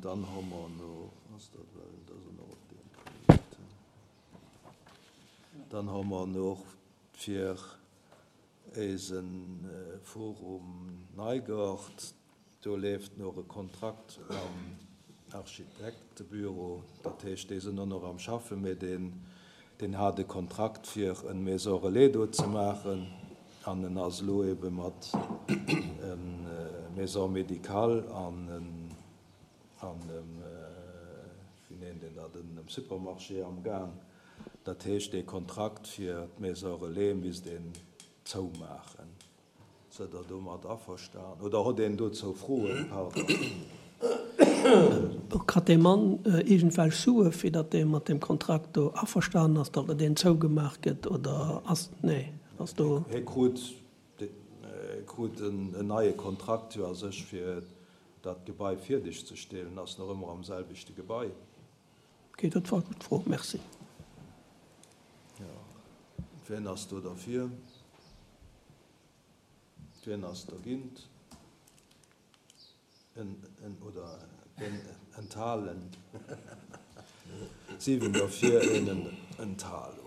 An dann hu mer no, ass dat well, dat ass och op deem Punkt. Dann hu mer no fir éise Forum Neigort, do leeft nach e Kontrakt mam Architektebüro, dat heescht, déi sinn och nach am Schaffen, mee deen, deen hat e Kontrakt fir en Maison relais do ze maachen an en ass elo ebe mat e Maison médicale an en, an em, wéi nennt een dat, en Supermarché am Gaang. Dat heescht, dee Kontrakt fir d'Maison relais misst een zoumaachen. Sidd Der domat averstan oder hutt een dozou Froen? Pardon. Kritt dee Mann iergendwelch Sue fir datt dee mat deem Kontrakt do averstanen ass, datt deen zougemaach gëtt oder ass, nee, ass do. Hie krut, krut en neie Kontrakt jo a sech fir dat Gebai fierdeg ze stellen, ass nach ëmmer am selwechte Gebai. Ok, dat war d'Fro. Merci. Jo, wien ass do derfir? Wien ass dergint? En, en, oder en, enthalen? 7 derfir, een Enthalung.